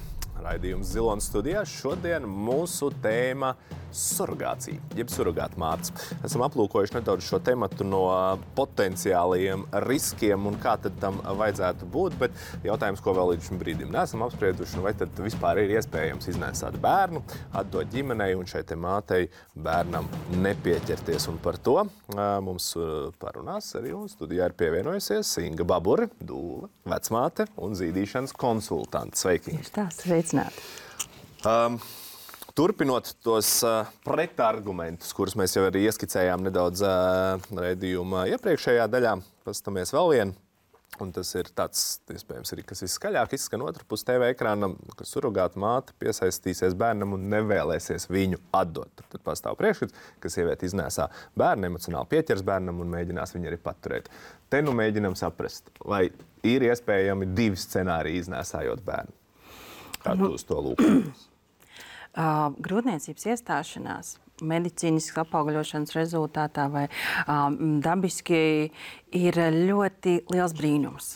Raidījums Zilonas studijā. Šodien mūsu tēma surogācija, jeb surogātu mātes. Esam aplūkojuši nedaudz šo tematu no potenciālajiem riskiem un kā tad tam vajadzētu būt, bet jautājums, ko vēl līdz šim brīdim neesam apsprieduši, vai tad vispār ir iespējams iznēsāt bērnu, atdot ģimenei un šai te mātei bērnam nepieķerties. Un par to mums parunās arī un studijā ir pievienojusies Inga Babure, dūle, vecmāte un zīdīšanas konsultante. Sveiki! Tieši tā, sveicināti! Um, Turpinot tos uh, pretargumentus, kurus mēs jau arī ieskicējām nedaudz uh, raidījuma iepriekšējā daļā, pastamies vēl vienu. Un tas ir tāds, iespējams, arī, kas viskaļāk izskan otru pusi T V ekrānam, ka surogāta māte piesaistīsies bērnam un nevēlēsies viņu atdot. Tad, tad pastāv priekšskats, ka sieviete iznēsā bērnu, emocionāli pieķers bērnam un mēģinās viņu arī paturēt. Te nu mēģinam saprast, vai ir iespējami divi scenāriji iznēsājot bērnu. Kā tu uz to lūkojies? Uh, grūtniecības iestāšanās medicīniskas apaugļošanas rezultātā vai um, dabiski ir ļoti liels brīnums.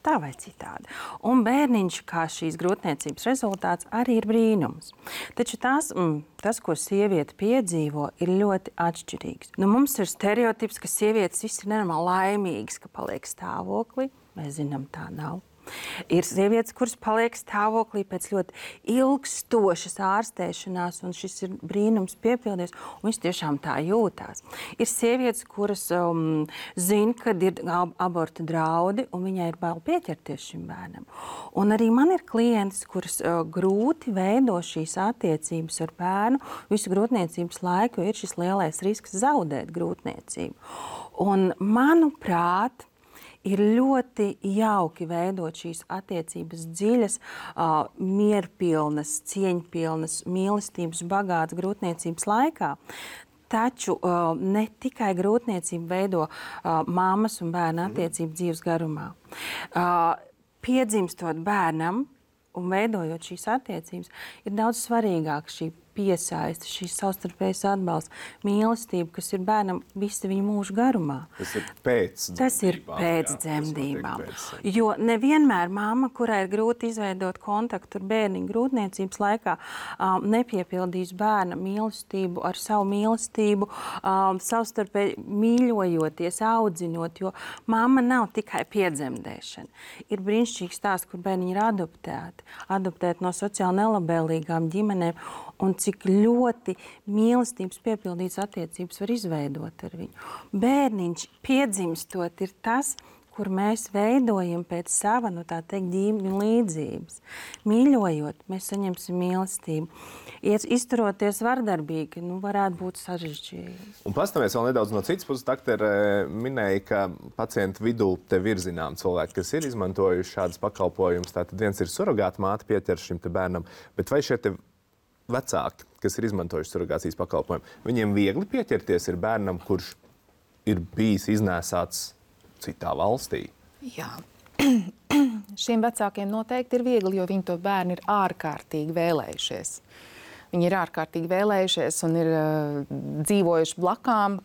Tā vai citādi. Un bērniņš, kā šīs grūtniecības rezultāts, arī ir brīnums. Taču tās, mm, tas, ko sieviete piedzīvo, ir ļoti atšķirīgs. Nu, mums ir stereotips, ka sievietes viss ir nenormāli laimīgas, ka paliek stāvoklī. Mēs zinām, tā nav. Ir sievietes, kuras paliek stāvoklī pēc ļoti ilgstošas ārstēšanās, un šis ir brīnums piepildies, un viņas tiešām tā jūtās. Ir sievietes, kuras um, zina, kad ir aborta draudi, un viņai ir bail pieķerties šim bērnam. Un arī man ir klientes, kuras uh, grūti veido šīs attiecības ar bērnu visu grūtniecības laiku, jo ir šis lielais risks zaudēt grūtniecību. Un, manuprāt, ir ļoti jauki veidot šīs attiecības dziļas, uh, mierpilnas, cieņpilnas, mīlestības bagātas grūtniecības laikā. Taču uh, ne tikai grūtniecība veido uh, mammas un bērna attiecību dzīves garumā. Uh, piedzimstot bērnam un veidojot šīs attiecības, ir daudz svarīgāk šī piesaiste, šīs savstarpējas atbalsts, mīlestība, kas ir bērnam visa viņa mūža garumā. Tas ir pēc dzemdībām. Tas ir pēc dzemdībām. Jo nevienmēr mamma, kurai ir grūti izveidot kontaktu ar bērniņu grūtniecības laikā, um, nepiepildīs bērna mīlestību ar savu mīlestību, um, savstarpēji mīļojoties, audzinot, jo mamma nav tikai piedzemdēšana. Ir brīnišķīgs stāsts, kur bērniņi ir adoptēti, adoptēti no sociāli nelabēlīgām ģimenēm, un cik ļoti mīlestības piepildītas attiecības var izveidot ar viņu. Bērniņš piedzimstot ir tas, kur mēs veidojam pēc sava, nu tā teikt, ģīmju līdzības. Mīļojot, mēs saņemsim mīlestību. Izturoties vardarbīgi, nu varētu būt sarežģījumi. Un pastamies vēl nedaudz no citas puses. Daktere minēja, ka pacientu vidū tev ir zinām cilvēki, kas ir izmantojuši šādas pakalpojumus. Tātad viens ir surogāta māte pieķers šim te bērnam, bet vai šie te vecāki, kas ir izmantojuši surrogācijas pakalpojumu, viņiem viegli pieķerties ir bērnam, kurš ir bijis iznēsāts citā valstī? Jā. Šiem vecākiem noteikti ir viegli, jo viņi to bērnu ir ārkārtīgi vēlējušies. Viņi ir ārkārtīgi vēlējušies un ir uh, dzīvojuši blakām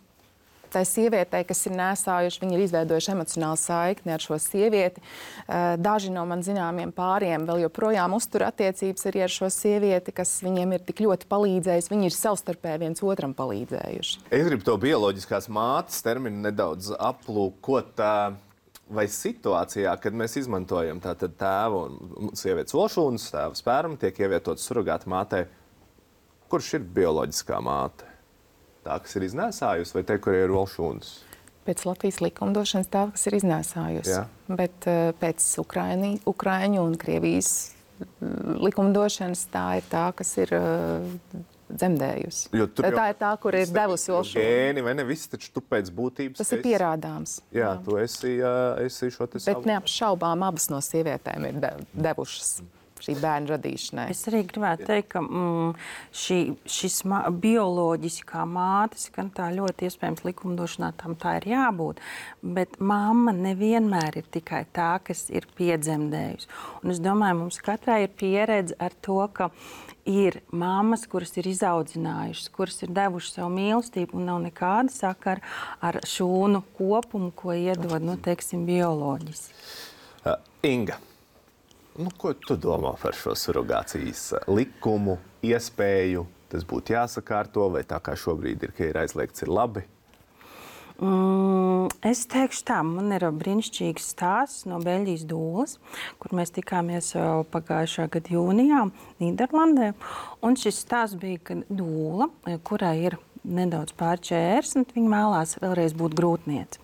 tai sievietei, kas ir nēsājuši. Viņi ir izveidojuši emocionālu saikni ar šo sievieti. Uh, daži no man zināmiem pāriem vēl joprojām uztur attiecības arī ar šo sievieti, kas viņiem ir tik ļoti palīdzējusi. Viņi ir savstarpēji viens otram palīdzējuši. Es gribu to bioloģiskās mātes terminu nedaudz aplūkot. Vai situācijā, kad mēs izmantojam tātad tēvu un sievietes olšūnas, tēva sperma tiek ievietots surrogāta mātei, kurš ir bioloģiskā māte? Tā, kas ir iznēsājusi, vai te, kur ir olšūnas? Pēc Latvijas likumdošanas tā, kas ir iznēsājusi. Jā. Bet uh, pēc Ukraini, Ukraiņu un Krievijas uh, likumdošanas tā ir tā, kas ir uh, dzemdējusi. Tā jau, ir tā, kur ir devusi olšūnu. Gēni, vai ne? Viss taču tu pēc būtības. Tas ir esi, pierādāms. Jā, jā. Tu esi, uh, esi šo te savu. Bet neapšaubām abas no sievietēm ir de, devušas šī bērna radīšanai. Es arī gribētu teikt, ka mm, šī, šis ma bioloģiskā mātes, gan tā ļoti iespējams likumdošanā tam tā ir jābūt, bet mamma nevienmēr ir tikai tā, kas ir piedzemdējusi. Un es domāju, mums katrai ir pieredze ar to, ka ir mammas, kuras ir izaudzinājušas, kuras ir devušas savu mīlestību un nav nekāda sakara ar šūnu kopumu, ko iedod, nu, teiksim, bioloģiski. Uh, Inga. Nu, ko tu domā par šo surrogācijas likumu, iespēju? Tas būtu jāsakārto, vai tā kā šobrīd ir, ka ir aizliegts, ir labi? Mm, es teikšu tā, man ir brīnišķīgs stāsts no Beļģijas dūles, kur mēs tikāmies pagājušā gada jūnijā Nīderlandē. Un šis stāsts bija, ka dūla, kurai ir nedaudz pār četrdesmit, viņa vēlās vēlreiz būt grūtniece.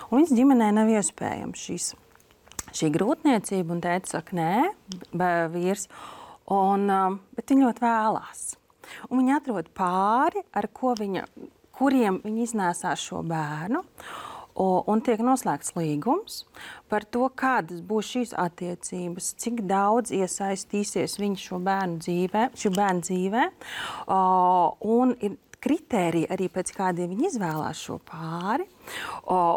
Un viņas ģimenē nav iespējams šīs šī grūtniecība, un tēta saka, nē, vīrs, un, bet viņa ļoti vēlās. Un viņa atrod pāri, ar ko viņa, kuriem viņa iznēsās šo bērnu, un tiek noslēgts līgums par to, kādas būs šīs attiecības, cik daudz iesaistīsies viņa šo bērnu dzīvē, šo bērnu dzīvē, un ir kritēriji arī pēc kādiem viņi izvēlās šo pāri,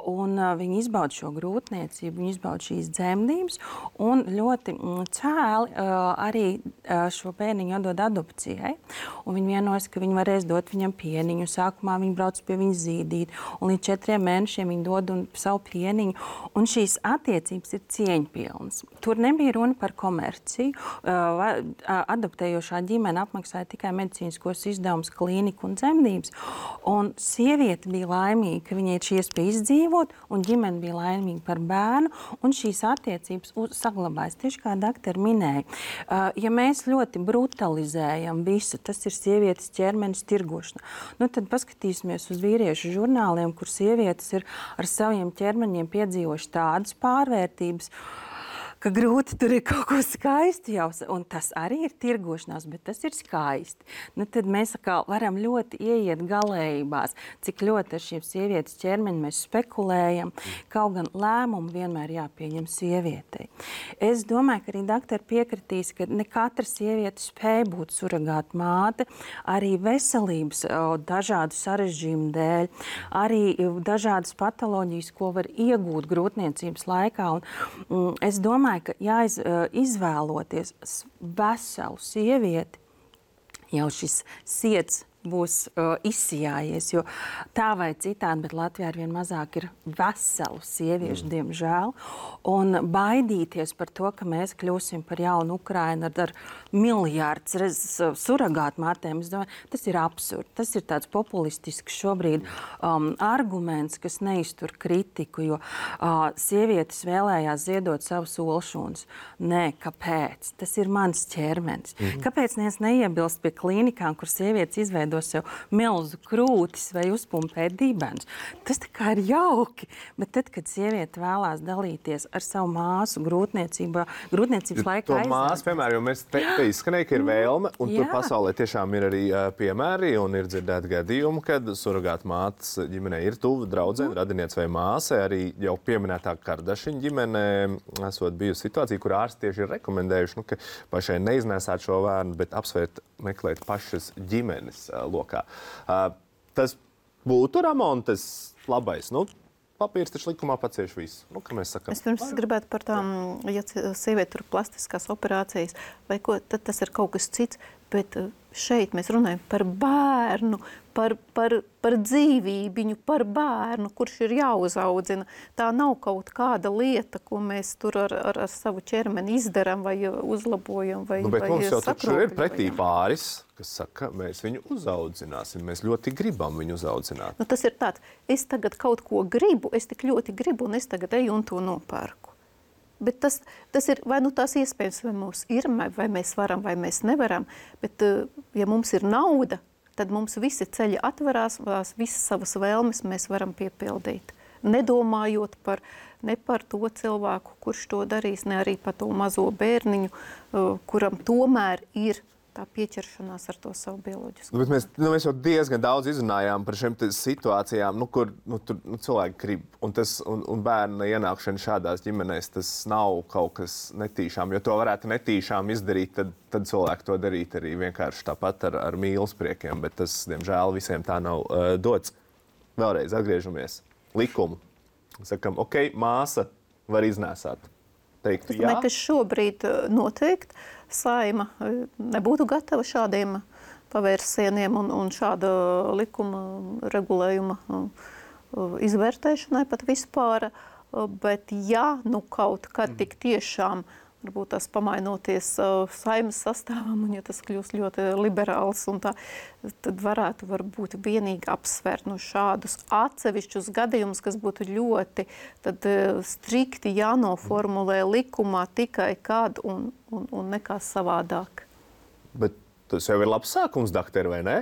un viņi izbauda šo grūtniecību, viņi izbauda šīs dzemdības, un ļoti cēli arī šo bērniņu atdod adopcijai. Un viņi vienojas, ka viņi varēs dot viņam pieniņu. Sākumā viņi brauc pie viņa zīdīt, un līdz četriem mēnešiem viņi dod un savu pieniņu. Un šīs attiecības ir cieņpilnas. Tur nebija runa par komerciju. Adoptējošā ģimene apmaksāja tikai medicīniskos izdevumus, klīniku un dzemdības. Un sieviete bija laimīga, ka viņai ir šī iespēja izdzīvot, un ģimene bija laimīga par bērnu, un šīs attiecības saglabājas. Tieši kā doktori minēja, ja mēs ļoti brutalizējam visu, tas ir sievietes ķermenis tirgošana, nu tad paskatīsimies uz vīriešu žurnāliem, kur sievietes ir ar saviem ķermeņiem piedzīvojuši tādas pārvērtības, ka grūti tur ir kaut ko skaisti jau, un tas arī ir tirgošanās, bet tas ir skaisti. Nu, tad mēs atkal varam ļoti ieiet galējībās, cik ļoti ar šiem sievietes ķermeņi mēs spekulējam, kaut gan lēmumu vienmēr jāpieņem sievietei. Es domāju, ka arī doktori piekritīs, ka ne katra sieviete spēja būt surrogāta māte, arī veselības dažādu sarežģījumu dēļ, arī dažādas patoloģijas, ko var iegūt grūtniecības laikā. Un, mm, es domāju, ka jāizvēloties veselu sievieti, jau šis siets būs uh, izsijājies, jo tā vai citādi, bet Latvijā arvien mazāk ir veselu sieviešu, mm. diemžēl, un baidīties par to, ka mēs kļūsim par jaunu Ukrainu ar, ar miljārdus surrogātu mātēm, es domāju, tas ir absurdi. Tas ir tāds populistisks šobrīd um, arguments, kas neiztur kritiku, jo uh, sievietes vēlējās ziedot savus olšūnas. Nē, kāpēc? Tas ir mans ķermenis. Mm. Kāpēc mēs neiebilst pie klīnikām, kur sievietes izveido izveido sev milzu krūtis vai uzpumpē dibenus. Tas tā kā ir jauki, bet tad, kad sieviete vēlās dalīties ar savu māsu grūtniecībā, grūtniecības laikā To māsu, piemēram, jo mēs te, te izskanēja, ka ir vēlme, un Jā. tur pasaulē tiešām ir arī uh, piemēri, un ir dzirdēti gadījumi, kad surrogāta mātes ģimenē ir tuva draudzene, mm. radiniece vai māsa. Arī jau pieminētā Kardašiņa ģimenē esot bijusi situācija, kur ārsti tieši ir rekomendējuši, nu, ka pašai neiznēsāt šo bērnu, bet apsvērt meklēt pašas ģimenes uh, lokā. Uh, tas būtu, Ramon, tas labais. Nu, papīrs taču likumā pacieš visu. Nu, kā mēs sakām. Es pirms gribētu par tām, ja sieviete tur plastiskās operācijas vai ko, tad tas ir kaut kas cits, bet šeit mēs runājam par bērnu, par, par, par dzīvībiņu, par bērnu, kurš ir jāuzaudzina. Tā nav kaut kāda lieta, ko mēs tur ar, ar, ar savu ķermeni izdaram vai uzlabojam vai Nu, bet vai mums jau taču ir pretī sakropļojam. pāris, kas saka, mēs viņu uzaudzināsim, mēs ļoti gribam viņu uzaudzināt. Nu, tas ir tāds, es tagad kaut ko gribu, es tik ļoti gribu, un es tagad eju un to nopērku. Bet tas, tas ir, vai nu tās iespējams, vai mums ir, vai mēs varam, vai mēs nevaram, bet ja mums ir nauda, tad mums visi ceļi atverās, visas savas vēlmes mēs varam piepildīt. Nedomājot par, ne par to cilvēku, kurš to darīs, ne arī par to mazo bērniņu, kuram tomēr ir tā pieķeršanās ar to savu bioloģisku. Nu, bet mēs, nu, mēs jau diezgan daudz izrunājām par šiem situācijām, nu, kur nu, tur, nu, cilvēki grib. Un, tas, un, un bērna ienākšana šādās ģimenēs, tas nav kaut kas netīšām. Jo to varētu netīšām izdarīt, tad, tad cilvēki to darīt arī vienkārši tāpat ar, ar mīlespriekiem. Bet tas, diemžēl, visiem tā nav uh, dots. Vēlreiz atgriežamies. Likumu. Sakam, ok, māsa var iznēsāt. Teikt, es domāju, ka šobrīd noteikti Saima nebūtu gatava šādiem pavērsieniem un, un šāda likuma regulējuma izvērtēšanai pat vispār. Bet ja nu kaut kad tik tiešām varbūt tas pamainoties Saimas sastāvam, un ja tas kļūst ļoti liberāls, un tā, tad varētu varbūt vienīgi apsvērt no šādus atsevišķus gadījumus, kas būtu ļoti tad, strikti jānoformulē likumā tikai kad un, un, un nekā savādāk. Bet tas jau ir labs sākums, dakteri, vai ne?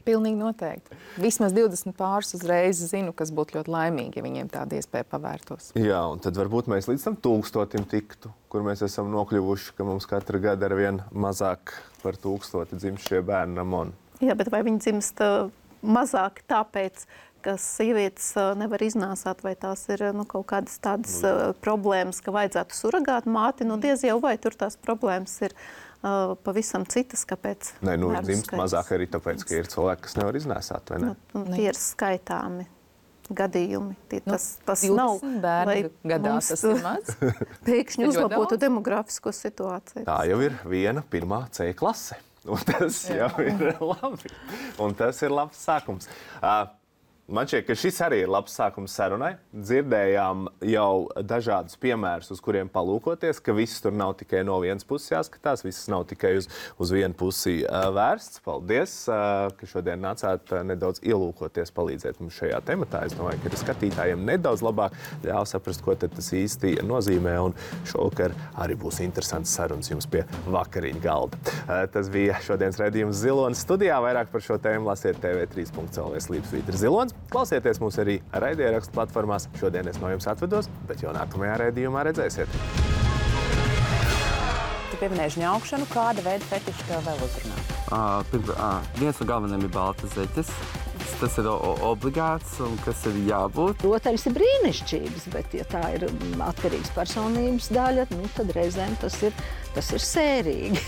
Pilnīgi noteikti. Vismaz divdesmit pāris uzreiz zinu, kas būtu ļoti laimīgi, ja viņiem tāda iespēja pavērtos. Jā, un tad varbūt mēs līdz tam tūkstotim tiktu, kur mēs esam nokļuvuši, ka mums katru gadu ar vien mazāk par tūkstoti dzimst šie bērni, Ramon. Jā, bet vai viņi dzimst mazāk tāpēc, ka sievietes nevar iznāsāt, vai tās ir nu, kaut kādas tādas uh, problēmas, ka vajadzētu surrogāt māti, nu diez jau vai tur tās problēmas ir uh, pavisam citas, kāpēc. Nē, nu bērnu dzimst skaits. mazāk arī tāpēc, ka ir cilvēki, kas nevar iznēsāt, vai ne? Nu, tie ir skaitāmi gadījumi. Tie, tas, tas Nu, nav, bērni gadā tas ir maz. pēkšņi Ļoti uzlabotu daudz. demografisko situāciju. Tā jau ir viena pirmā C klase. Un tas jau ir labi. Un tas ir labs sākums. Uh, Man šķiet, ka šis arī ir labs sākums sarunai. Dzirdējām jau dažādus piemērus, uz kuriem palūkoties, ka viss tur nav tikai no vienas puses jāskatās, viss nav tikai uz, uz vienu pusi uh, vērsts. Paldies, uh, ka šodien nācāt uh, nedaudz ielūkoties, palīdzēt mums šajā tematā. Es domāju, ka skatītājiem nedaudz labāk ļauj saprast, ko tad tas īsti nozīmē. Un šovakar arī būs interesants sarunas jums pie vakariņu galda. Uh, tas bija šodienas redzījums Zilonas studijā. Vairāk par šo tēmu lasiet T V trīs punkts L V slīpsvītra Zilons. Klausieties mūs arī raidierakstu platformās. Šodien es no jums atvedos, bet jau nākamajā raidījumā redzēsiet. Tu pieminēji žņaukšanu, kāda veida fetiši tev vēl uzrunā? Uh, pirmā, uh, viens no galvenajiem ir baltas zeķes. Tas ir obligāts un kas ir jābūt. Protams, ir brīnišķīgs, bet ja tā ir atkarīgs personības daļa, nu, tad reizēm tas ir, tas ir sērīgi.